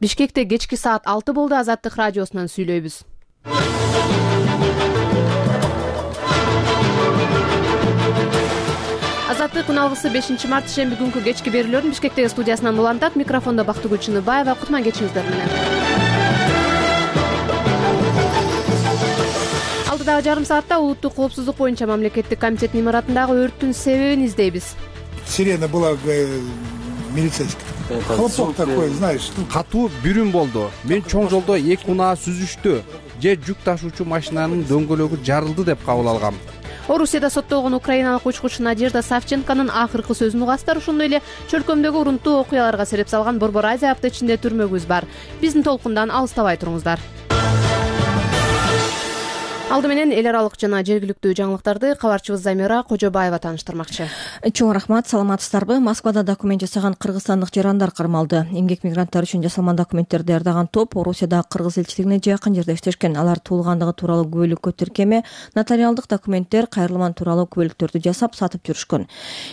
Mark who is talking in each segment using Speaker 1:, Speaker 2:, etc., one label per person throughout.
Speaker 1: Бишкекте кечки саат 6 болду. Азаттык радиосунан сүйлөйбүз. Азаттык күн алгысы 5-март шемби күнкү кечки берүүлөрүн Бишкектеги студиясынан улантат. Микрофондо Бактыгүл Чыныбаева. Кутман кечиңиздер менен. Алдыдагы жарым саатта улуттук коопсуздук боюнча мамлекеттик комитеттин имаратындагы өрттүн себебин издейбиз.
Speaker 2: Сирена была милицейская. Хлопок такой, знаешь.
Speaker 3: Катуу бүрүм болду. Мен чоң жолдо эки унаа сүзүштү же жүк ташуучу машинанын дөңгөлөгү жарылды деп кабыл алгам.
Speaker 1: Орусияда соттолгон украиналык учкуч Надежда Савченконун акыркы сөзүн угасыздар. Ошондой эле чөлкөмдөгү урунттуу окуяларга сереп салган Борбор Азия апта ичинде түрмөгүбүз бар. Биздин толкундан алыстабай туруңуздар. Алды менен эл аралык жана жергиликтүү жаңылыктарды кабарчыбыз Замира Кожобаева тааныштырмакчы.
Speaker 4: Чоң рахмат, саламатсыздарбы? Москвада документ жасаган кыргызстандык жарандар кармалды. Эмгек мигранттар үчүн жасалган документтерди даярдаган топ Орусияда кыргыз элчилигине жакын жерде иштешкен. Алар туулгандыгы тууралуу күбөлүккө тиркеме, нотариалдык документтер, кайрылман тууралуу күбөлүктөрдү жасап сатып жүрүшкөн.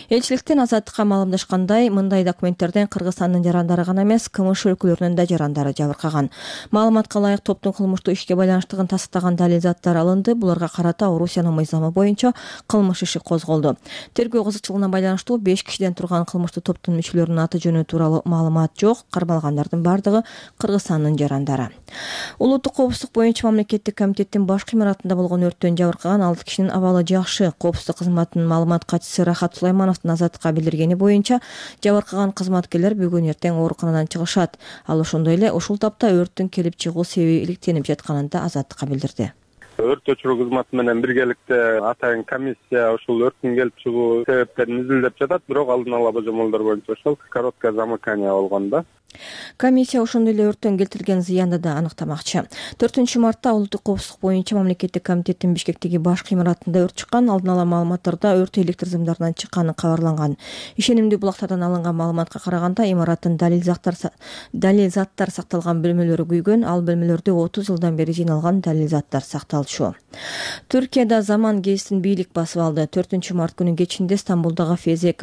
Speaker 4: Элчиликтен Азаттыкка маалымдашкандай, мындай документтерден Кыргызстандын жарандары гана эмес, КМШ өлкөлөрүнүн да жарандары жабыркаган. Маалыматка ылайык топтун кылмыштуу ишке байланыштыгын тастыктаган далил заттар буларга карата Орусиянын мыйзамы боюнча кылмыш иши козголду. Тергөө кызыкчылыгына байланыштуу 5 кишиден турган кылмыштуу топтун мүчөлөрүнүн аты жөнү тууралуу маалымат жок. Кармалгандардын бардыгы Кыргызстандын жарандары. Улуттук коопсуздук боюнча мамлекеттик комитеттин башкы имаратында болгон өрттөн жабыркаган 6 кишинин абалы жакшы. Коопсуздук кызматынын маалымат катчысы Рахат Сулаймановдун Азаттыкка билдиргени боюнча, жабыркаган кызматкерлер бүгүн эртең ооруканадан чыгышат. Ал ошондой эле ушул тапта өрттүн келип чыгуу себеби иликтенип жатканын да Азаттыкка билдирди.
Speaker 5: Өрт өчүрүү кызматы менен биргеликте атайын комиссия ушул өрттүн келип чыгуу себептерин изилдеп жатат, бирок алдын ала божомолдор боюнча ошол короткое замыкание болгон да.
Speaker 4: Комиссия ошондой эле өрттөн келтирилген зыянды да аныктамакчы. 4-мартта улуттук коопсуздук боюнча мамлекеттик комитеттин Бишкектеги башкы имаратында өрт чыккан. Алдын ала маалыматтарда өрт электр сымдарынан чыкканы кабарланган. Ишенимдүү булактардан алынган маалыматка караганда, имараттын далил заттар сакталган бөлмөлөрү күйгөн. Ал бөлмөлөрдө 30 жылдан бери жыйналган далил заттар сакталчу. Түркияда Заман гезитин бийлик басып алды. 4-март күнү кечинде Стамбулдагы Фезе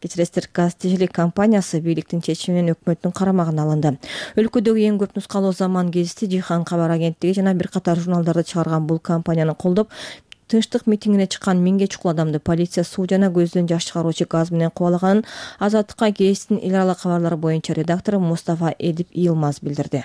Speaker 4: Gazetecilik компаниясы бийликтин чечими менен өкмөттүн карамагына алынды. Өлкөдөгү эң көп нускалуу Заман гезити, Жихан кабар агенттиги жана бир катар журналдарды чыгарган бул компанияны колдоп, тынчтык митингине чыккан 1000ге чукул адамды полиция суу жана көздөн жаш чыгаруучу газ менен кубалаганын Азаттыкка гезиттин эл аралык кабарлары боюнча редактору Мустафа Эдип Йылмаз билдирди.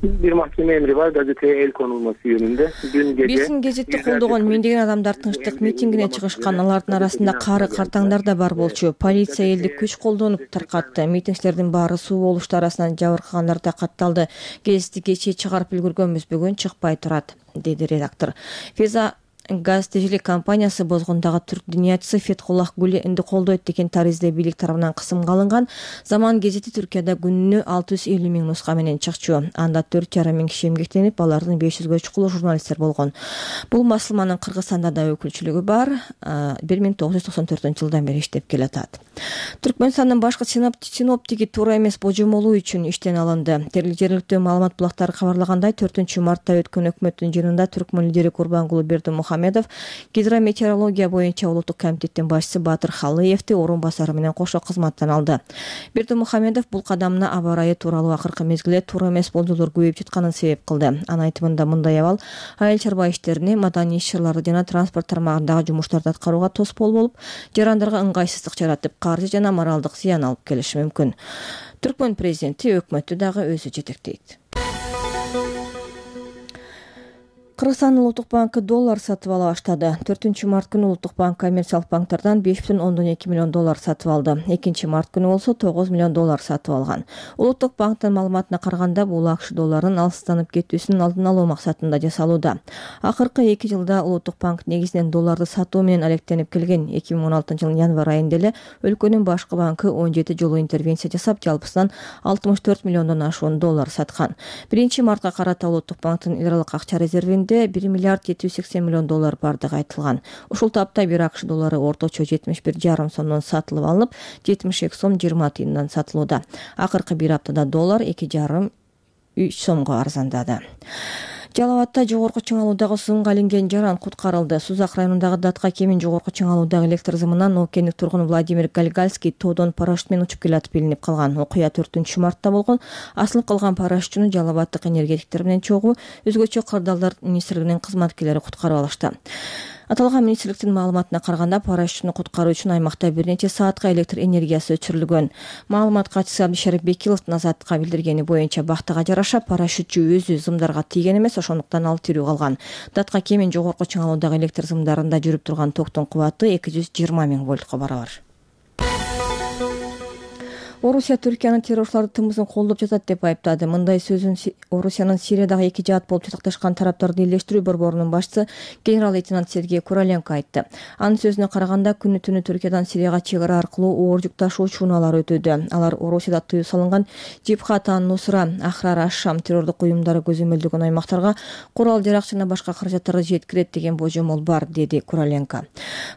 Speaker 6: Bir mahkeme emri var gazeteye el konulması yönünde.
Speaker 4: Биздин гезитти колдогон миңдеген адамдар тынчтык митингине чыгышкан. Алардын арасында кары картаңдар да бар болчу. Полиция элди күч колдонуп таркатты. Митингчилердин баары суу болушту арасынан жабыркагандар да катталды. Гезитти кечээ чыгарып үлгүргөнбүз, бүгүн чыкпай турат, деди редактор. Феза Gazetecilik компаниясы бозгондагы түрк дүйнөчүсү Фетхуллах Гүленди колдойт деген таризде бийлик тарабынан кысымга алынган. Заман гезити Түркияда күнүнө 650 000 нуска менен чыкчу. Анда 4,5 000 киши эмгектенип, алардын 500ге чукулу журналисттер болгон. Бул басылманын Кыргызстанда да өкүлчүлүгү бар. 1994-жылдан бери иштеп келатат. Түркмөнстандын башкы синоптиги туура эмес божомолуу үчүн иштен алынды. Жергиликтүү маалымат булактары кабарлагандай, 4-мартта өткөн өкмөттүн жыйынында Түркмөн лидери Курбангулы Бердимухамедов гидрометеорология боюнча улуттук комитеттин башчысы Батыр Халыевди орун басары менен кошо кызматтан алды. Бердимухамедов бул кадамына аба ырайы тууралуу акыркы мезгилде туура эмес болжолдор көбөйүп жатканын себеп кылды. Анын айтымында мындай абал айыл чарба иштерине, маданий иш-чараларды жана транспорт тармагындагы жумуштарды аткарууга тоскоол болуп, жарандарга ыңгайсыздык жаратып, каржы жана моралдык зыян алып келиши мүмкүн. Түркмөн президенти өкмөттү дагы өзү жетектейт. Кыргызстандын Улуттук банкы доллар сатып ала баштады. 4-март күнү Улуттук банк коммерциялык банктардан 5,2 миллион доллар сатып алды. 2-март күнү болсо 9 миллион доллар сатып алган. Улуттук банктын маалыматына караганда, бул акш долларынын алыстанып кетүүсүнүн алдын алуу максатында жасалууда. Акыркы 2 жылда Улуттук банк негизинен долларды сатуу менен алектенип келген. 2016-жылдын январь айында эле өлкөнүн башкы банкы 17 жолу интервенция жасап, жалпысынан 64 миллиондон ашуун доллар саткан. 1-мартка карата Улуттук банктын эл аралык акча резервинде 1 миллиард 780 миллион доллар бардыгы айтылган. Ушул тапта бир акш доллары орточо 71,5 сомдон сатылып алынып, 72 сом 20 тыйындан сатылууда. Акыркы бир аптада доллар 2,5-3 сомго арзандады. Жалал Абадта жогорку чыңалуудагы сымга илинген жаран куткарылды. Сузак районундагы Датка кемин жогорку чыңалуудагы электр зымынан окендик тургун Владимир Гальгальский тоодон парашют менен учуп келатып илинип калган. Окуя 4-мартта болгон. Асылып калган парашютчуну Жалал Абадтык энергетиктер менен чогуу өзгөчө кырдаалдар министрлигинин кызматкерлери куткарып алышты. Аталган министрликтин маалыматына караганда парашютчуну куткаруу үчүн аймакта бир нече саатка электр энергиясы өчүрүлгөн. Маалымат катчысы Абдишарип Бекиловдун Азаттыкка билдиргени боюнча бактыга жараша парашютчу өзү зымдарга тийген эмес, ошондуктан ал тирүү калган. Датка кемин жогорку чыңалуудагы электр зымдарында жүрүп турган токтун кубаты 220 000 вольтко барабар. Орусия Түркиянын террорчуларды тымызын колдоп жатат деп айыптады. Мындай сөзүн Орусиянын Сириядагы эки жаат болуп жатакташкан тараптарды элдештирүү борборунун башчысы генерал-лейтенант Сергей Куроленко айтты. Анын сөзүнө караганда күнү түнү Түркиядан Сирияга чек ара аркылуу оор жүк ташуучу унаалар өтүүдө. Алар Орусияда тыюу салынган Джибхат ан-Нусра, Ахрар аш-Шам террордук уюмдары көзөмөлдөгөн аймактарга курал жарак жана башка каражаттарды жеткирет деген божомол бар, деди Куроленко.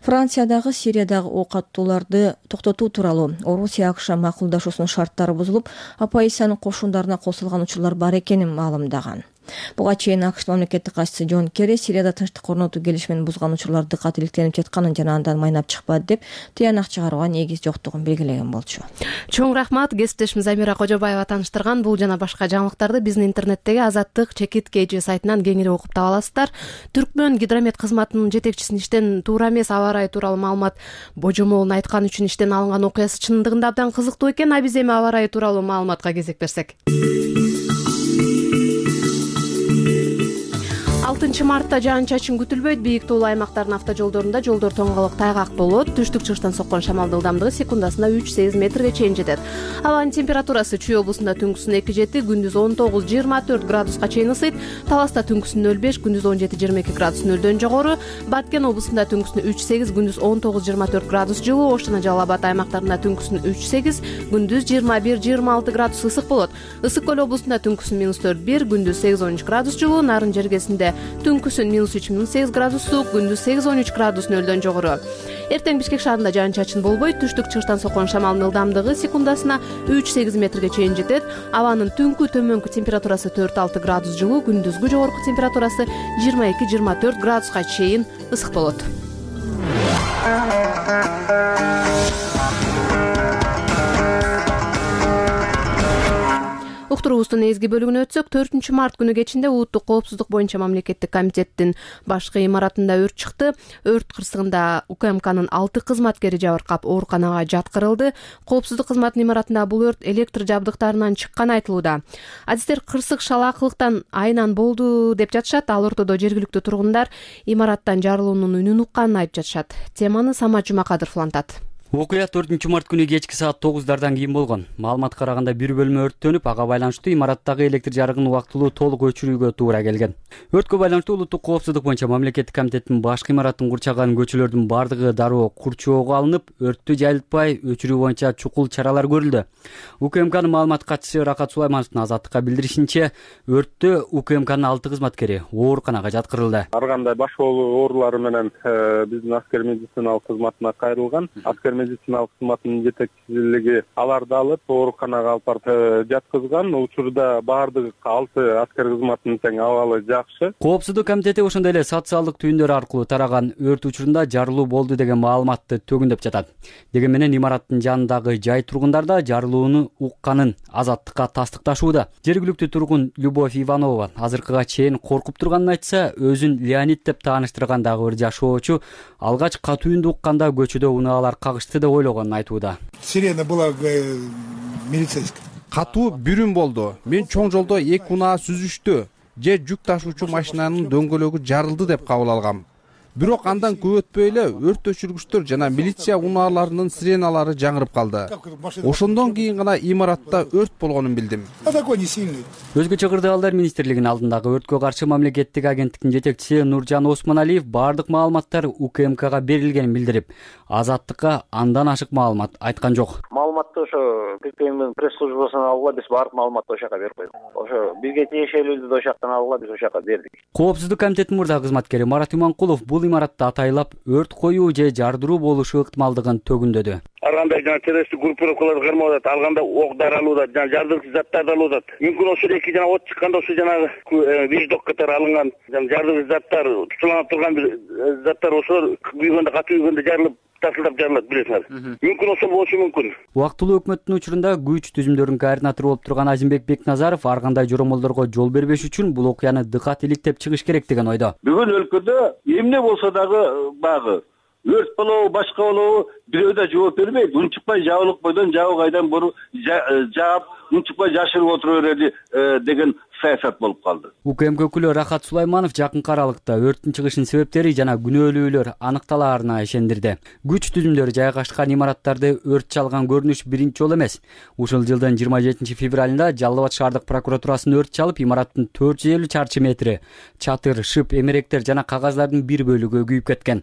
Speaker 4: Франциядагы Сириядагы ок аттууларды токтотуу тууралуу Орусия АКШ макулдашуусунун шарттары бузулуп, оппозициянын кошундарына косулган учурлар бар экенин маалымдаган. Буга чейин АКШ мамлекеттик катчысы Джон Керри Сирияда тынчтык орнотуу келишимин бузган учурларды катиликтенип жатканын жана андан майнап чыкпады деп тыянак чыгарууга негиз жоктугун белгилеген болчу.
Speaker 1: Чоң рахмат. Кесиптешим Замира Кожобаева тааныштырган бул жана башка жаңылыктарды биздин интернеттеги Азаттык /KG сайтынан кеңири окуп таба аласыздар. Түркмөн гидромет кызматынын жетекчисин иштен туура эмес аба ырайы тууралуу маалымат божомолун айткан үчүн иштен алынган окуясы чындыгында абдан кызыктуу экен. А биз эми аба ырайы тууралуу маалыматка кезек берсек. 6 мартта жаан-чачын күтүлбөйт. Бийик тоолуу аймактардын автожолдорунда жолдор тоңголук тайгак болот. Түштүк-чыгыштан соккон шамалдын ылдамдыгы секундасына 3-8 метрге чейин жетет. Абанын температурасы Чүй облусунда түнкүсүн 2-7, күндүз 19-24 градуска чейин ысыйт. Таласта түнкүсүн 0-5, күндүз 17-22 градус нөлдөн жогору. Баткен облусунда түнкүсүн 3-8, күндүз 19-24 градус жылуу. Ош жана Жалал Абад аймактарында түнкүсүн 3-8, күндүз 21-26 градус ысык болот. Ысык көл облусунда түнкүсүн -4-1, күндүз 8-13 градус жылуу. Нарын жергесинде түнкүсүн -3-8 градус суук, күндүз 8-13 градус нөлдөн жогору. Эртең Бишкек шаарында жаан-чачын болбойт. Түштүк-чыгыштан соккон шамалдын ылдамдыгы секундасына 3-8 метрге чейин жетет. Абанын түнкү төмөнкү температурасы 4-6 градус жылуу, күндүзгү жогорку температурасы 22-24 градуска чейин ысык болот. Уктуруубуздун негизги бөлүгүнө өтсөк, 4 март күнү кечинде улуттук коопсуздук боюнча мамлекеттик комитеттин башкы имаратында өрт чыкты. Өрт кырсыгында УКМКнын 6 кызматкери жабыркап ооруканага жаткырылды. Коопсуздук кызматынын имаратында бул өрт электр жабдыктарынан чыкканы айтылууда. Адистер кырсык шалаакылыктан айынан болду деп жатышат. Ал ортодо жергиликтүү тургундар имараттан жарылуунун үнүн укканын айтып жатышат. Теманы Самат Жумакадыров улантат.
Speaker 7: Окуя 4 март күнү кечки саат 9дардан кийин болгон. Маалыматка караганда бир бөлмө өрттөнүп, ага байланыштуу имараттагы электр жарыгын убактылуу толук өчүрүүгө туура келген. Өрткө байланыштуу улуттук коопсуздук боюнча мамлекеттик комитеттин башкы имаратын курчаган көчөлөрдүн бардыгы дароо курчоого алынып, өрттү жайылтпай өчүрүү боюнча чукул чаралар көрүлдү. УКМКнын маалымат катчысы Рахат Сулаймановдун Азаттыкка билдиришинче, өрттө УКМКнын 6 кызматкери ооруканага жаткырылды.
Speaker 5: Ар кандай баш оорулары менен биздин аскер медициналык кызматына кайрылган. Медициналык кызматынын жетекчилиги аларды алып ооруканага алып барып жаткызган. Учурда баардык 6 аскер кызматынын тең абалы жакшы.
Speaker 7: Коопсуздук комитети ошондой эле социалдык түйүндөр аркылуу тараган өрт учурунда жарылуу болду деген маалыматты төгүндөп жатат. Деген менен имараттын жанындагы жай тургундар да жарылууну укканын Азаттыкка тастыкташууда. Жергиликтүү тургун Любовь Иванова азыркыга чейин коркуп турганын айтса, өзүн Леонид деп тааныштыргандагы бир жашоочу алгач катууюнду укканда көчөдө унаалар кагышты деп ойлогонун айтууда.
Speaker 2: Сирена была милицейская.
Speaker 3: Катуу бүрүн болду. Мен чоң жолдо эки унаа сүзүштү же жүк ташуучу машинанын дөңгөлөгү жарылды деп кабыл алгам. Бирок андан көп өтпөй эле өрт өчүргүчтөр жана милиция унааларынын сиреналары жаңырып калды. Ошондон кийин гана имаратта өрт болгонун билдим.
Speaker 7: Өзгөчө кырдаалдар министрлигинин алдындагы өрткө каршы мамлекеттик агенттиктин жетекчиси Нуржан Осмоналиев бардык маалыматтар УКМКга берилгенин билдирип, Азаттыкка андан ашык маалымат айткан жок.
Speaker 6: Маалыматты ошо ККМдин пресс-службасынан алгыла, биз бардык маалыматты ошо жака берип койдук. Ошо бизге тиешелүүдү ошо жактан алгыла, биз ошо жака бердик.
Speaker 7: Коопсуздук комитетинин мурдагы кызматкери Марат Иманкулов бул имаратта атайлап өрт коюу же жардыруу болушу ыктымалдыгын төгүндөдү.
Speaker 8: ар кандай жана террористтик группировкаларды кармап атат, ал кандай ок дары алып атат, жана жардыргыч заттарды алып атат. Мүмкүн ошол эки жана от чыкканда ошо жанагы вещдок катары алынган жана жардыргыч заттар, тутуланып турган бир заттар ошолор күйгөндө, катуу күйгөндө жарылып тартылдап жарылат, билесиңер. Мүмкүн ошол болушу мүмкүн.
Speaker 7: Убактылуу өкмөттүн учурунда күч түзүмдөрүнүн координатору болуп турган Азимбек Бекназаров ар кандай жоромолдорго жол бербеш үчүн бул окуяны дыкат иликтеп чыгыш керек деген ойдо.
Speaker 9: Бүгүн өлкөдө эмне болсо дагы багы өрт болобу, башка болобу, бирөө да жооп бербейт. Унчукпай жабылып бойдон жабы кайдан буру жаап, унчукпай жашырып отура берели деген саясат болуп калды.
Speaker 7: УКМК өкүлү Рахат Сулайманов жакынкы аралыкта өрттүн чыгышынын себептери жана күнөөлүүлөр аныкталаарына ишендирди. Күч түзүмдөрү жайгашкан имараттарды өрт чалган көрүнүш биринчи жолу эмес. Ушул жылдын 27 февралында Жалал Абад шаардык прокуратурасын өрт чалып, имараттын 450 чарчы метри чатыр, шып, эмеректер жана кагазлардын бир бөлүгү күйүп кеткен.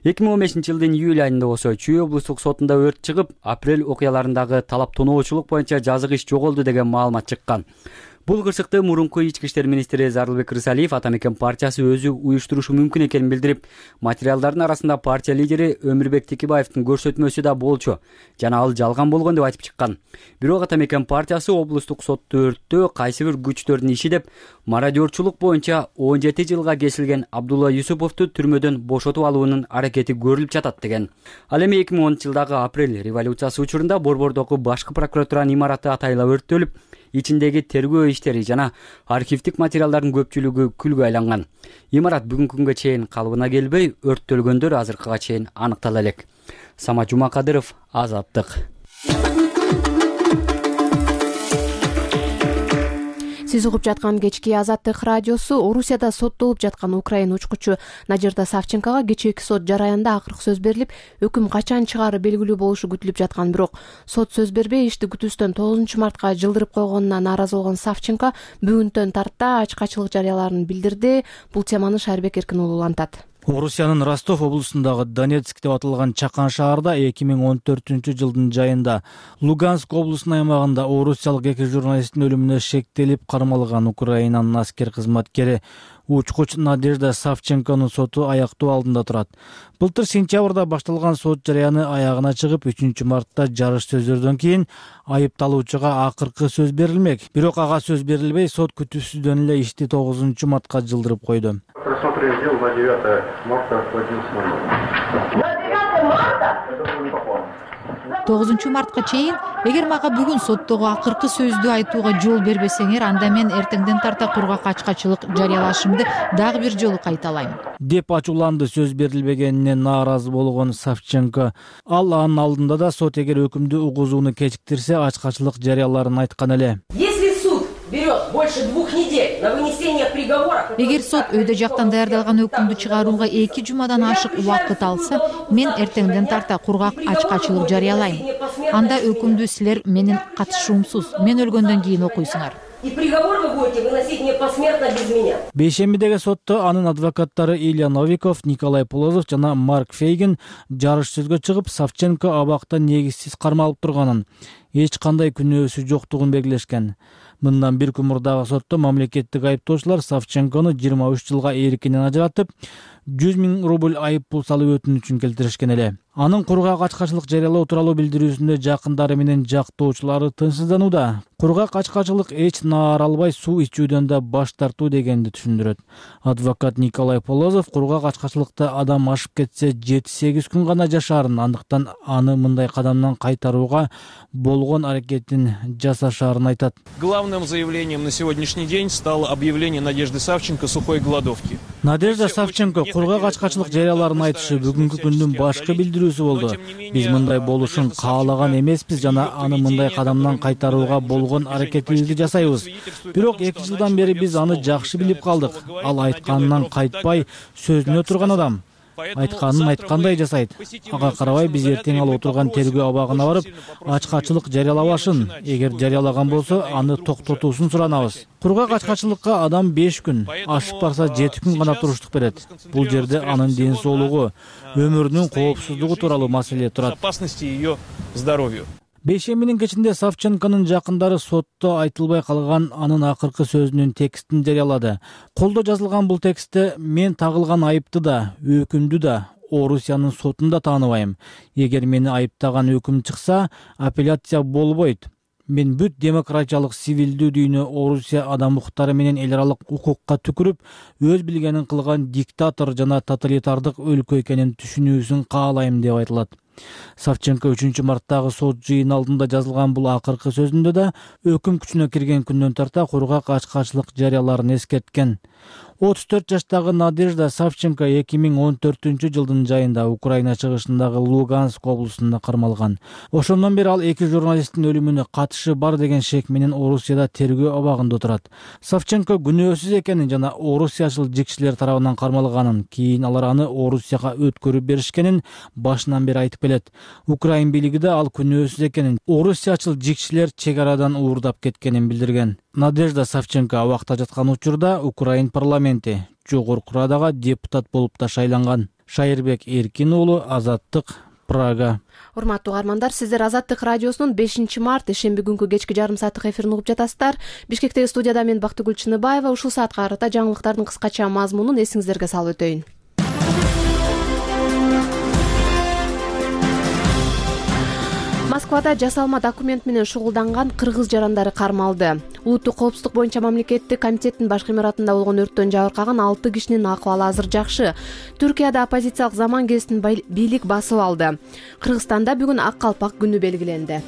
Speaker 7: 2015 жылдын июль айында болсо Чүй облустук сотунда өрт чыгып, апрель окуяларындагы талап тоноочулук боюнча жазык иш жоголду деген маалымат чыккан. Бул кырсыкты мурунку ички иштер министри Зарылбек Рысалиев Ата Мекен партиясы өзү уюштурушу мүмкүн экенин билдирип, материалдардын арасында партия лидери Өмүрбек Текебаевдин көрсөтмөсү да болчу жана ал жалган болгон деп айтып чыккан. Бирок Ата Мекен партиясы облустук сотту өрттөө кайсы бир күчтөрдүн иши деп мародерчулук боюнча 17 жылга кесилген Абдулла Юсуповду түрмөдөн бошотуп алуунун аракети көрүлүп жатат деген. Ал эми 2010 жылдагы апрель революциясы учурунда Борбордогу башкы прокуратуранын имараты атайла өрттөлүп, ичиндеги тергөө иштери жана архивдик материалдардын көпчүлүгү күлгө айланган. Имарат бүгүнкү күнгө чейин калыбына келбей, өрттөлгөндөр азыркыга чейин аныктала элек. Самат Жумакадыров, Азаттык.
Speaker 1: Сиз угуп жаткан кечки Азаттык радиосу. Орусияда соттолуп жаткан украин учкучу Надежда Савченкога кечээки сот жараянда акыркы сөз берилип, өкүм качан чыгаары белгилүү болушу күтүлүп жаткан. Бирок сот сөз бербей ишти күтүүстөн 9 мартка жылдырып койгонуна нааразы болгон Савченко бүгүнтөн тарта ачкачылык жарыялаарын билдирди. Бул теманы Шайырбек Эркин уулу улантат.
Speaker 10: Орусиянын Ростов облусундагы Донецк деп аталган чакан шаарда 2014 жылдын жайында Луганск облусунун аймагында орусиялык 2 журналисттин өлүмүнө шектелип кармалган Украинанын аскер кызматкери учкуч Надежда Савченконун соту аяктоо алдында турат. Былтыр сентябрда башталган сот жарыяны аягына чыгып, 3 мартта жарыш сөздөрдөн кийин айыпталуучуга акыркы сөз берилмек. Бирок ага сөз берилбей, сот күтүүсүздөн эле ишти 9 мартка жылдырып койду.
Speaker 11: Просмотр дел на 9 марта в 11 марта. На 9 марта?
Speaker 12: 9 мартка чейин эгер мага бүгүн соттогу акыркы сөздү айтууга жол бербесеңер, анда мен эртеңден тарта кургак ачкачылык жарыялашымды дагы бир жолу кайталайм
Speaker 10: деп ачууланды сөз берилбегенине нааразы болгон Савченко. Ал анын алдында да сот эгер өкүмдү угузууну кечиктирсе, ачкачылык жарыяларын айткан эле.
Speaker 13: Берет больше 2 недель на вынесение приговора.
Speaker 12: Эгер сот өйдө жактан даярдалган өкүмдү чыгарууга 2 жумадан ашык убакыт алса, мен эртеңден тарта кургак ачкачылык жарыялайм. Анда өкүмдү силер менин катышуумсуз, мен өлгөндөн кийин окуйсуңар.
Speaker 13: И приговор вы будете выносить не посмертно без меня.
Speaker 10: Бейшембидеги сотто анын адвокаттары Илья Новиков, Николай Полозов жана Марк Фейгин жарыш сөзгө чыгып, Савченко абакта негизсиз кармалып турганын, эч кандай күнөөсү жоктугун белгилешкен. Мындан бир күн мурдагы сотто мамлекеттик айыптоочулар Савченкону 23 жылга эркинен ажыратып, 100 000 рубль айып пул салуу өтүнүчүн келтиришкен эле. Анын кургак ачкачылык жарыялоо тууралуу билдирүүсүндө жакындары менен жактоочулары тынчсызданууда. Кургак ачкачылык эч наар албай суу ичүүдөн да баш тартуу дегенди түшүндүрөт. Адвокат Николай Полозов кургак ачкачылыкта адам ашып кетсе 7-8 күн гана жашаарын, андыктан аны мындай кадамдан кайтарууга болгон аракетин жасашаарын айтат.
Speaker 14: Главным заявлением на сегодняшний день стало объявление Надежды Савченко сухой голодовки.
Speaker 10: Надежда Савченко кургак ачкачылык жарыяларын айтышы бүгүнкү күндүн башкы билдирүүсү болду. Биз мындай болушун каалаган эмеспиз жана аны мындай кадамдан кайтарууга болгон аракетибизди жасайбыз. Бирок 2 жылдан бери биз аны жакшы билип калдык. Ал айтканынан кайтпай, сөзүнө турган адам. Айтканын айткандай жасайт. Ага карабай биз эртең ал отурган тергөө абагына барып, ачкачылык жарыялабашын, эгер жарыялаган болсо, аны токтотуусун суранабыз. Кургак ачкачылыкка адам 5 күн, ашып барса 7 күн гана туруштук берет. Бул жерде анын ден соолугу, өмүрүнүн коопсуздугу тууралуу маселе турат.
Speaker 14: Безопасности ее здоровью.
Speaker 10: Бейшембинин кечинде Савченконун жакындары сотто айтылбай калган анын акыркы сөзүнүн текстин жарыялады. Колдо жазылган бул текстте мен тагылган айыпты да, өкүмдү да, Орусиянын сотунда тааныбайм. Эгер мени айыптаган өкүм чыкса, апелляция болбойт. Мен бүт демократиялык сивилдүү дүйнө Орусия адам укуктары менен эл аралык укукка түкүрүп, өз билгенин кылган диктатор жана тоталитардык өлкө экенин түшүнүүсүн каалайм деп айтылат. Савченко 3-марттагы сот жыйын алдында жазылган бул акыркы сөзүндө да өкүм күчүнө кирген күндөн тарта кургак ачкачылык жарыяларын эскерткен. 34 жаштагы Надежда Савченко 2014-жылдын жайында Украина чыгышындагы Луганск облусунда кармалган. Ошондон бери ал 2 журналисттин өлүмүнө катышы бар деген шек менен Орусияда тергөө абагында отурат. Савченко күнөөсүз экенин жана орусиячыл жикчилер тарабынан кармалганын, кийин алар аны Орусияга өткөрүп беришкенин башынан бери айтып келет. Украин бийлиги да ал күнөөсүз экенин, орусиячыл жикчилер чек арадан уурдап кеткенин билдирген. Надежда Савченко абакта жаткан учурда Украин парламенти жогорку радага депутат болуп да шайланган. Шайырбек Эркин уулу, Азаттык, Прага.
Speaker 1: Урматтуу угармандар, сиздер Азаттык радиосунун 5-март ишемби күнкү кечки жарым сааттык эфирин угуп жатасыздар. Бишкектеги студияда мен Бактыгүл Чыныбаева. Ушул саатка карата жаңылыктардын кыскача мазмунун эсиңиздерге салып өтөйүн. Москвада жасалма документ менен шугулданган кыргыз жарандары кармалды. Улуттук коопсуздук боюнча мамлекеттик комитеттин баш имаратында болгон өрттөн жабыркаган 6 кишинин акыбалы азыр жакшы. Түркияда оппозициялык Заман гезитин бийлик басып алды. Кыргызстанда бүгүн ак калпак күнү белгиленди.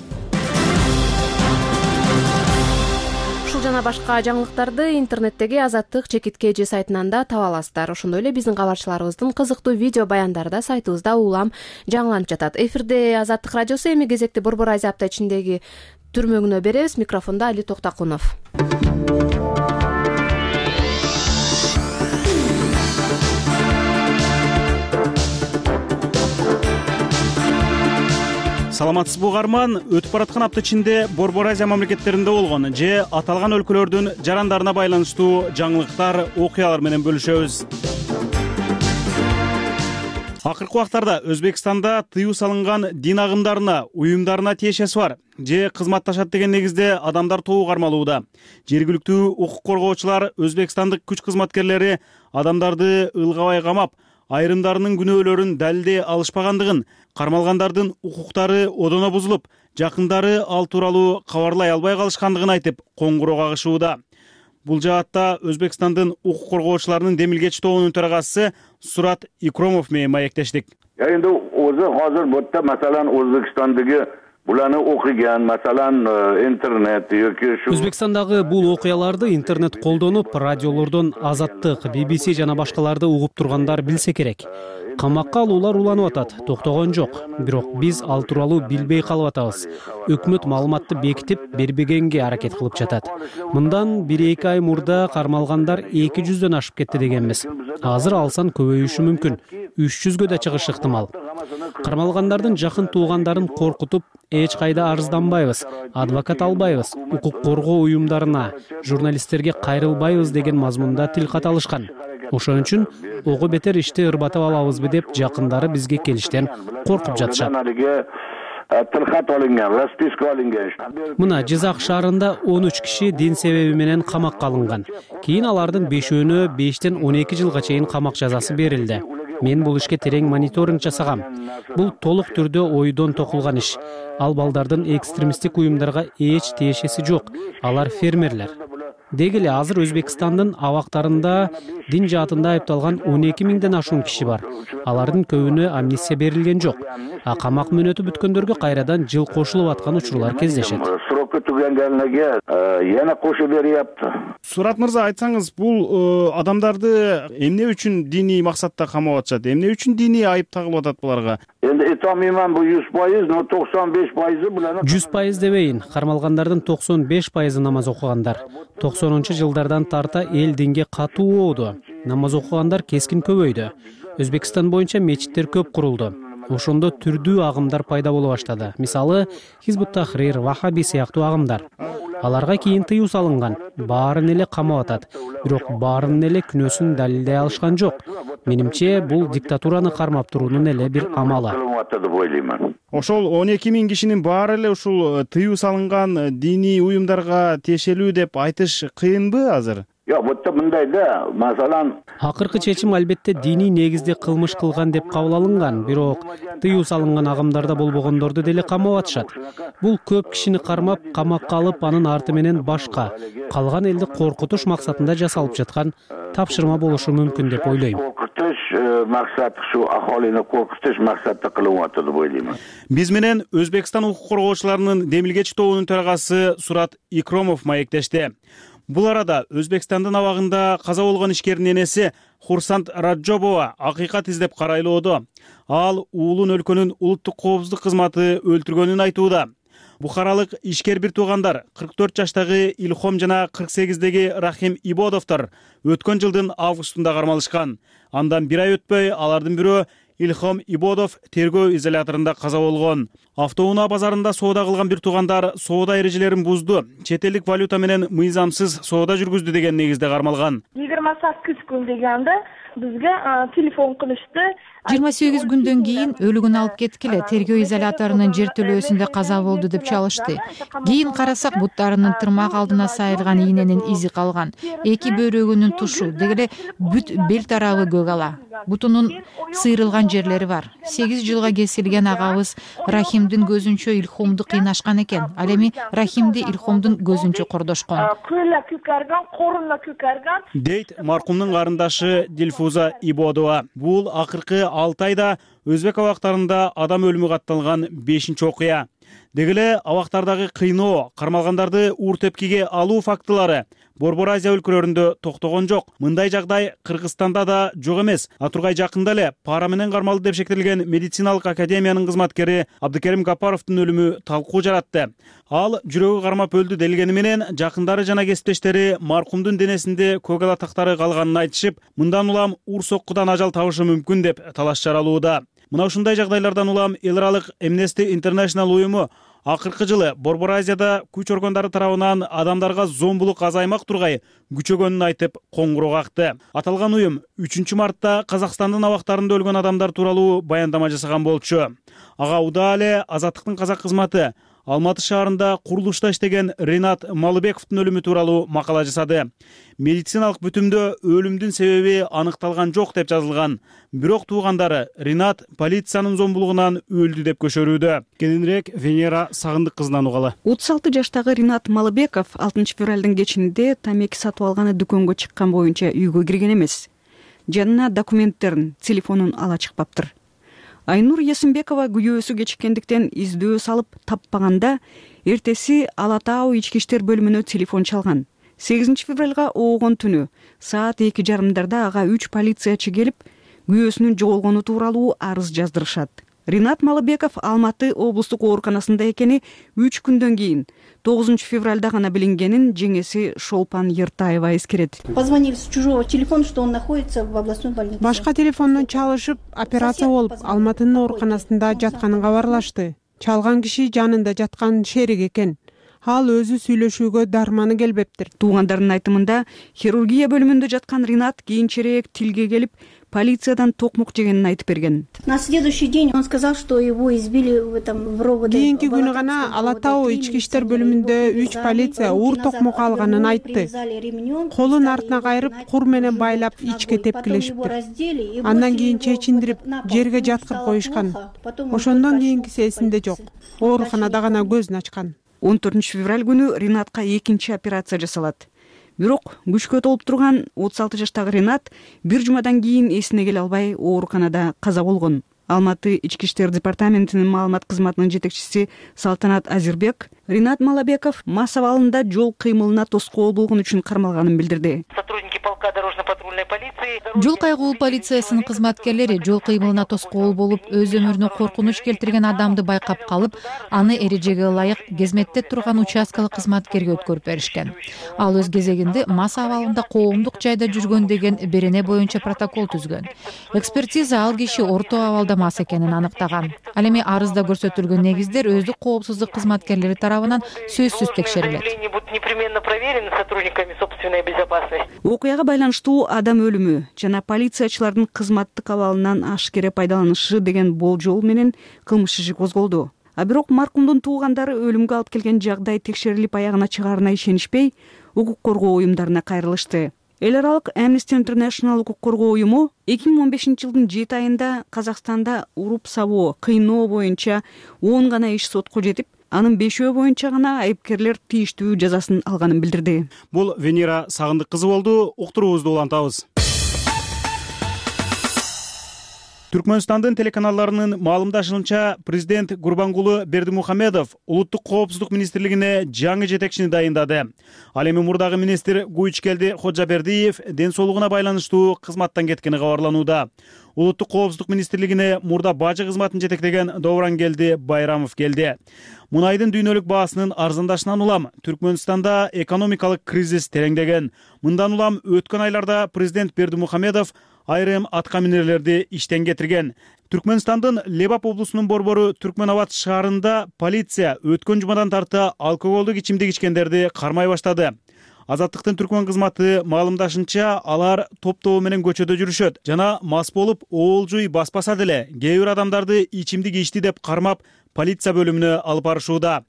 Speaker 1: Ушул жана башка жаңылыктарды интернеттеги Азаттык /KG сайтынан да таба аласыздар. Ошондой эле биздин кабарчыларыбыздын кызыктуу видео баяндары да сайтыбызда улам жаңыланып жатат. Эфирде Азаттык радиосу, эми кезекти Борбор Азия апта ичиндеги түрмөгүнө беребиз. Микрофондо Али Токтакунов.
Speaker 15: Саламатсызбы угарман, өтүп бараткан апта ичинде Борбор Азия мамлекеттеринде болгон же аталган өлкөлөрдүн жарандарына байланыштуу жаңылыктар, окуялар менен бөлүшөбүз. Акыркы убактарда Өзбекстанда тыюу салынган дин агымдарына, уюмдарына тиешеси бар же кызматташат деген негизде адамдар тобу кармалууда. Жергиликтүү укук коргоочулар Өзбекстандык күч кызматкерлери адамдарды ылгабай камап, айрымдарынын күнөөлөрүн далилдей алышпагандыгын, кармалгандардын укуктары одоно бузулуп, жакындары ал тууралуу кабарлай албай калышкандыгын айтып, коңгуроо кагышууда. Бул жаатта Өзбекстандын укук коргоочуларынын демилгеч тобунун төрагасы Сурат Икромов менен маектештик.
Speaker 16: Эми азыр бутта масалан Өзбекстандагы буланы окуган, масалан интернет yoki shu
Speaker 17: Өзбекстандагы бул окуяларды интернет колдонуп, радиолордон Азаттык, BBC жана башкаларды угуп тургандар билсе керек. Камакка алуулар уланып атат, токтогон жок. Бирок биз ал тууралуу билбей калып атабыз. Өкмөт маалыматты бекитип бербегенге аракет кылып жатат. Мындан 1-2 ай мурда кармалгандар 200дөн ашып кетти дегенбиз. Азыр алсан көбөйүшү мүмкүн. 300гө да чыгышы ыктымал. Кармалгандардын жакын туугандарын коркутуп, эч кайда арызданбайбыз, адвокат албайбыз, укук коргоо уюмдарына, журналисттерге кайрылбайбыз деген мазмунда тил каталышкан. Ошон үчүн ого бетер ишти ырбатып алабызбы деп жакындары бизге келиштен коркуп жатышат. Мына Жизак шаарында 13 киши дин себеби менен камакка алынган. Кийин алардын 5-өөнө 5тен 12 жылга чейин камак жазасы берилди. Мен бул ишке терең мониторинг жасагам. Бул толук түрдө ойдон токулган иш. Ал балдардын экстремисттик уюмдарга эч тиешеси жок. Алар фермерлер. Деги эле азыр Өзбекстандын абактарында дин жаатында айыпталган 12 миңден ашуун киши бар. Алардын көбүнө амнистия берилген жок. А камак мөөнөтү бүткөндөргө кайрадан жыл кошулуп аткан учурлар кездешет.
Speaker 15: Сурат мырза, айтсаңыз, бул адамдарды эмне үчүн диний максатта камап атышат? Эмне үчүн диний айып тагылып атат буларга?
Speaker 16: Эndi айтамайман бул 100%, но 95% булар
Speaker 17: 100% дебейин. Кармалгандардын 95% намаз окугандар. 90-жылдардан тарта эл динге катуу болду. Намаз окугандар кескин көбөйдү. Өзбекстан боюнча мечиттер көп курулду. Ошондо түрдүү агымдар пайда боло баштады. Мисалы, Хизбут Тахрир, Вахаби сыяктуу агымдар. Аларга кийин тыюу салынган. Баарын эле камап атат. Бирок баарын эле күнөөсүн далилдей алышкан жок. Менимче, бул диктатураны кармап туруунун эле бир амалы.
Speaker 15: Ошол 12 миң кишинин баары эле ушул тыюу салынган диний уюмдарга тиешелүү деп айтыш кыйынбы азыр?
Speaker 16: Жок, бутта мындай да, масалан,
Speaker 17: акыркы чечим албетте диний негизде кылмыш кылган деп кабыл алынган, бирок тыюу салынган агымдарда болбогондорду деле камап атышат. Бул көп кишини кармап, камакка алып, анын арты менен башка, калган элди коркутуш максатында жасалып жаткан тапшырма болушу мүмкүн деп ойлойм.
Speaker 16: Коркутуш максаты ушу ахолини коркутуш максатта кылынып атат деп ойлойм.
Speaker 15: Биз менен Өзбекстан укук коргоочуларынын демилгеч тобунун төрагасы Сурат Икромов маектешти. Бул арада Өзбекстандын абагында каза болгон ишкердин энеси Хурсант Раджобова акыйкат издеп карайлоодо. Ал уулун өлкөнүн улуттук коопсуздук кызматы өлтүргөнүн айтууда. Бухаралык ишкер бир туугандар 44 жаштагы Илхом жана 48деги Рахим Ибодовдор өткөн жылдын августунда кармалышкан. Андан бир ай өтпөй алардын бирөө Илхом Ибодов тергөө изоляторунда каза болгон. Автоунаа базарында соода кылган бир туугандар соода эрежелерин бузду, чет элдик валюта менен мыйзамсыз соода жүргүздү деген негизде кармалган.
Speaker 18: 28 күн дегенде бизге телефон кылышты.
Speaker 12: 28 күндөн кийин өлүгүн алып кеткиле, тергөө изоляторунун жертөлөөсүндө каза болду деп чалышты. Кийин карасак, буттарынын тырмак алдына сайылган ийненин изи калган. Эки бөйрөгүнүн тушу, дегеле бүт бел тарабы көк ала. Бутунун сыйрылган жерлери бар. 8 жылга кесилген агабыз Рахимдин көзүнчө Илхомду кыйнашкан экен. Ал эми Рахимди Илхомдун көзүнчө кордошкон.
Speaker 18: Көлө күкөргөн, корунна күкөргөн.
Speaker 15: Дейт маркумдун карындашы Дилфуза Ибодова. Бул акыркы 6 айда Өзбек абактарында адам өлүмү катталган 5-чи окуя. Дегеле абактардагы кыйноо, кармалгандарды уур тепкиге алуу фактылары Борбор Азия өлкөлөрүндө токтогон жок. Мындай жагдай Кыргызстанда да жок эмес. Атургай жакында эле пара менен кармалды деп шектелген медициналык академиянын кызматкери Абдыкерим Гапаровдун өлүмү талкуу жаратты. Ал жүрөгү кармап өлдү делгени менен жакындары жана кесиптештери маркумдун денесинде көк ала тактары калганын айтышып, мындан улам уур соккудан ажал табышы мүмкүн деп талаш жаралууда. Мына ушундай жагдайлардан улам эл аралык Amnesty International уюму акыркы жылы Борбор Азияда күч органдары тарабынан адамдарга зомбулук азаймак тургай күчөгөнүн айтып коңгуроо какты. Аталган уюм 3 мартта Казакстандын абактарында өлгөн адамдар тууралуу баяндама жасаган болчу. Ага удаа эле Азаттыктын казак кызматы Алматы шаарында курулушта иштеген Ринат Малыбековдун өлүмү тууралуу макала жасады. Медициналык бүтүмдө өлүмдүн себеби аныкталган жок деп жазылган. Бирок туугандары Ринат полициянын зомбулугунан өлдү деп көчөрүүдө. Кененирээк Венера Сагындык кызынан угалы.
Speaker 19: 36 жаштагы Ринат Малыбеков 6 февралдын кечинде тамеки сатып алганы дүкөнгө чыккан боюнча үйгө кирген эмес. Жанына документтерин, телефонун ала чыкпаптыр. Айнур Ясынбекова күйөөсү кечиккендиктен издөө салып таппаганда, эртеси Ала Тау ички иштер бөлүмүнө телефон чалган. 8 февралга оогон түнү саат 2:30 ага 3 полициячы келип, күйөөсүнүн жоголгону тууралуу арыз жаздырышат. Ринат Малыбеков Алматы облустук ооруканасында экени 3 күндөн кийин 9 февралда гана билингенин жеңеси Шолпан Ертаева эскерет.
Speaker 20: Позвонили с чужого телефона, что он находится в областной больнице.
Speaker 21: Башка телефондон чалышып, операция болуп, Алматынын ооруканасында жатканын кабарлашты. Чалган киши жанында жаткан шерик экен. Ал өзү сүйлөшүүгө дарманы келбептир.
Speaker 19: Туугандардын айтымында, хирургия бөлүмүндө жаткан Ринат кийинчерээк тилге келип, полициядан токмок жегенин айтып берген.
Speaker 20: На следующий день он сказал, что его избили в РОВД.
Speaker 21: Кийинки күнү гана Ала Тау ички иштер бөлүмүндө 3 полиция уур токмок алганын айтты. Колун артына кайрып, кур менен байлап ичке тепкилешиптир. Андан кийин чечиндирип, жерге жаткырып коюшкан. Ошондон кийинкиси эсинде жок. Ооруканада гана көзүн ачкан.
Speaker 19: 14 февраль күнү Ринатка экинчи операция жасалат. Бирок күчкө толуп турган 36 жаштагы Ринат бир жумадан кийин эсине келе албай ооруканада каза болгон. Алматы ички иштер департаментинин маалымат кызматынын жетекчиси Салтанат Азирбек Ринат Малыбеков мас абалында жол кыймылына тоскоол болгон үчүн кармалганын билдирди.
Speaker 22: Сотрудники полка дорожно-патрульной полиции
Speaker 12: Жол кайгылуу полициясынын кызматкерлери жол кыймылына тоскоол болуп, өз өмүрүнө коркунуч келтирген адамды байкап калып, аны эрежеге ылайык кезметте турган участкалык кызматкерге өткөрүп беришкен. Ал өз кезегинде мас абалында коомдук жайда жүргөн деген берене боюнча протокол түзгөн. Экспертиза ал киши орто абалда мас экенин аныктаган. Ал эми арызда көрсөтүлгөн негиздер өздүк коопсуздук кызматкерлери тарабынан сөзсүз текшерилет.
Speaker 22: непременно проверены сотрудниками собственной безопасности.
Speaker 19: Окуяга байланыштуу адам өлүмү жана полициячылардын кызматтык абалынан ашкере пайдаланышы деген болжол менен кылмыш иши козголду. А бирок маркумдун туугандары өлүмгө алып келген жагдай текшерилип аягына чыгаарына ишенишпей, укук коргоо уюмдарына кайрылышты. эл аралык Amnesty International укук коргоо уюму 2015-жылдын 7 айында Казакстанда уруп сабоо, кыйноо боюнча 10 гана иш сотко жетип, анын 5 боюнча гана айыпкерлер тийиштүү жазасын алганын билдирди.
Speaker 15: Бул Венера Сагындык кызы болду. Уктуруубузду улантабыз. Түркмөнстандын телеканалларынын маалымдашынча, президент Гурбангулы Бердимухамедов улуттук коопсуздук министрлигине жаңы жетекчини дайындады. Ал эми мурдагы министр Гуйчкелди Ходжабердиев ден соолугуна байланыштуу кызматтан кеткени кабарланууда. Улуттук коопсуздук министрлигине мурда бажы кызматын жетектеген Доврангелди Байрамов келди. Мунайдын дүйнөлүк баасынын арзандашынан улам Түркмөнстанда экономикалык кризис тереңдеген. Мындан улам өткөн айларда президент Бердимухамедов айрым атка минерлерди иштен кетирген. Түркмөнстандын Лебап облусунун борбору Түркмөнабад шаарында полиция өткөн жумадан тарта алкоголдук ичимдик ичкендерди кармай баштады. Азаттыктын түркмөн кызматы маалымдашынча, алар топтоо менен көчөдө жүрүшөт жана мас болуп оолжуй баспаса деле кээ бир адамдарды ичимдик ичти деп кармап полиция бөлүмүнө алып барышууда.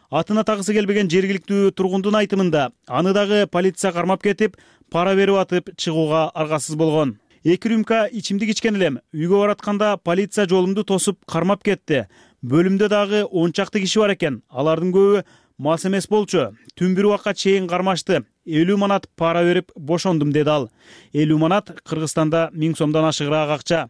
Speaker 15: Атын атагысы келбеген жергиликтүү тургундун айтымында, аны дагы полиция кармап кетип, пара берип атып чыгууга аргасыз болгон. 2 рюмка ичимдик ичкен элем. Үйгө баратканда полиция жолумду тосуп кармап кетти. Бөлүмдө дагы 10 чакты киши бар экен. Алардын көбү мас эмес болчу. Түн бир убакка чейин кармашты. 50 манат пара берип бошондум, деди ал. 50 манат Кыргызстанда 1000 сомдон ашыгыраак акча.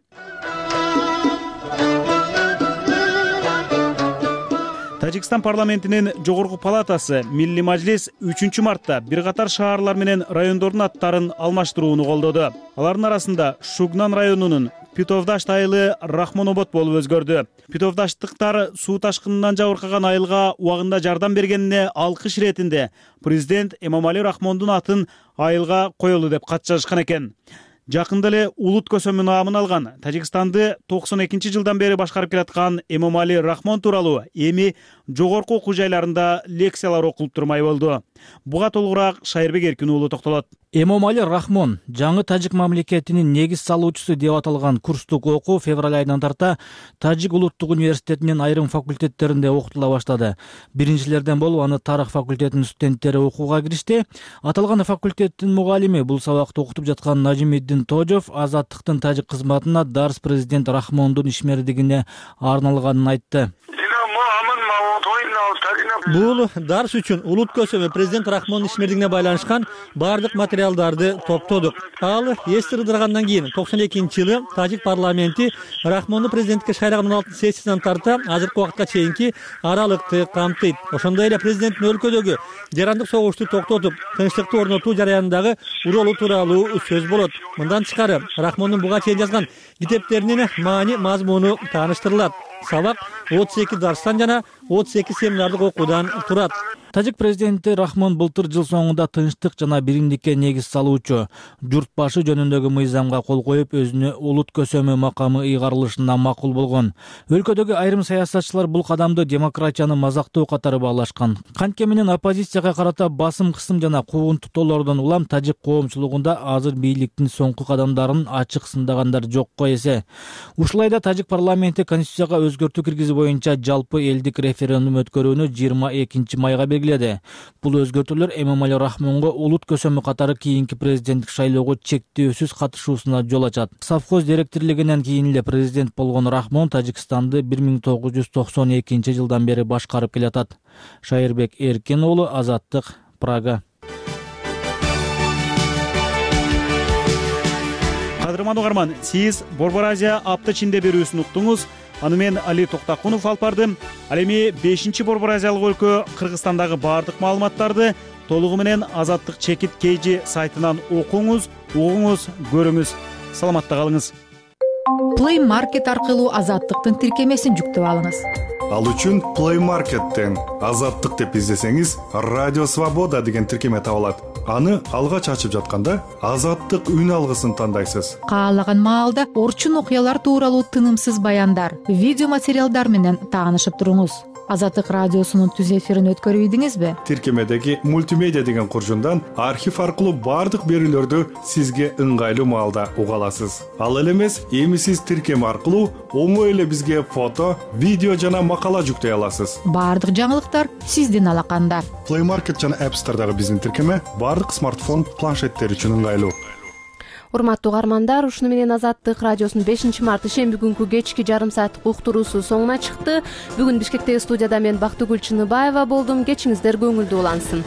Speaker 15: Тажикстан парламентинин жогорку палатасы Милли Мажлис 3 мартта бир катар шаарлар менен райондордун аттарын алмаштырууну колдоду. Алардын арасында Шугнан районунун Питовдашт айылы Рахмонобод болуп өзгөрдү. Питовдаштыктар суу ташкынынан жабыркаган айылга убагында жардам бергенине алкыш иретинде президент Эмомали Рахмондун атын айылга коелу деп кат жазышкан экен. Жакында эле улут көсөмү наамын алган Тажикстанды 92-жылдан бери башкарып келаткан Эмомали Рахмон тууралуу эми жогорку окуу жайларында лекциялар окулуп турмай болду. Буга толугураак Шайырбек Эркин уулу токтолот.
Speaker 10: Эмомали Рахмон жаңы тажик мамлекетинин негиз салуучусу деп аталган курстук окуу февраль айынан тарта Тажик улуттук университетинин айрым факультеттеринде окутула баштады. Биринчилерден болуп аны тарых факультетинин студенттери окууга киришти. Аталган факультеттин мугалими бул сабакты окутуп жаткан Нажимиддин Тожов азаттыктын тажик кызматына дарс президент Рахмондун ишмердигине арналганын айтты.
Speaker 4: Бул дарс үчүн улут көсөмү президент Рахмондун ишмердигине байланышкан бардык материалдарды топтодук. Ал эс ырдыргандан кийин 92-жылы Тажик парламенти Рахмонду президентке шайлаган 16-сессиясынан тарта азыркы убакытка чейинки аралыкты камтыйт. Ошондой эле президенттин өлкөдөгү жарандык согушту токтотуп, тынчтыкты орнотуу жараянындагы ролу тууралуу сөз болот. Мындан тышкары Рахмондун буга чейин жазган китептеринин маани мазмуну тааныштырылат. Сабак 32 дарстан жана 32 семинардык окуудан турат.
Speaker 10: Тажик президенти Рахмон былтыр жыл соңунда тынчтык жана биримдикке негиз салуучу журт башы жөнүндөгү мыйзамга кол коюп, өзүнө улут көсөмү макамы ыйгарылышына макул болгон. Өлкөдөгү айрым саясатчылар бул кадамды демократияны мазактоо катары баалашкан. Кантке менен оппозицияга карата басым кысым жана куугунтуктоолордон улам тажик коомчулугунда азыр бийликтин соңку кадамдарын ачык сындагандар жокко эсе. Ушулай да тажик парламенти конституцияга өзгөртүү киргизүү боюнча жалпы элдик референдум өткөрүүнү 22 майга белгиледи. Бул өзгөртүүлөр Эмомали Рахмонго улут көсөмү катары кийинки президенттик шайлоого чектөөсүз катышуусуна жол ачат. Совхоз директорлигинен кийин эле президент болгон Рахмон Тажикстанды 1992-жылдан бери башкарып келатат. Шайырбек Эркин уулу, Азаттык, Прага.
Speaker 15: Кадырман угарман, сиз Борбор Азия апта ичинде берүүсүн уктуңуз. Аны мен Али Токтакунов алып бардым. Ал эми 5-чи Борбор Азиялык өлкө Кыргызстандагы бардык маалыматтарды толугу менен Азаттык чекит KG сайтынан окуңуз, угуңуз, көрүңүз. Саламатта калыңыз.
Speaker 12: Play Market аркылуу Азаттыктын тиркемесин жүктөп алыңыз.
Speaker 5: Ал үчүн Play Market'тен Азаттык деп издесеңиз, Радио Свобода деген тиркеме табылат. Аны алгач ачып жатканда Азаттык үн алгысын тандайсыз.
Speaker 12: Каалаган маалда орчун окуялар тууралуу тынымсыз баяндар, видео материалдар менен таанышып туруңуз. Азаттык радиосунун түз эфирин өткөрүп ийдиңизби?
Speaker 5: Тиркемедеги мультимедиа деген куржундан архив аркылуу баардык берүүлөрдү сизге ыңгайлуу маалда уга аласыз. Ал эле эмес, эми сиз тиркеме аркылуу оңой эле бизге фото, видео жана макала жүктөй аласыз.
Speaker 12: Баардык жаңылыктар сиздин алаканда.
Speaker 5: Play Market жана App Store'дагы биздин тиркеме баардык смартфон, планшеттер үчүн ыңгайлуу.
Speaker 1: Урматтуу угармандар, ушуну менен Азаттык радиосунун 5-март ишемби күнкү кечки жарым сааттык уктуруусу соңуна чыкты. Бүгүн Бишкектеги студияда мен Бактыгүл Чыныбаева болдум. Кечиңиздер көңүлдүү улансын.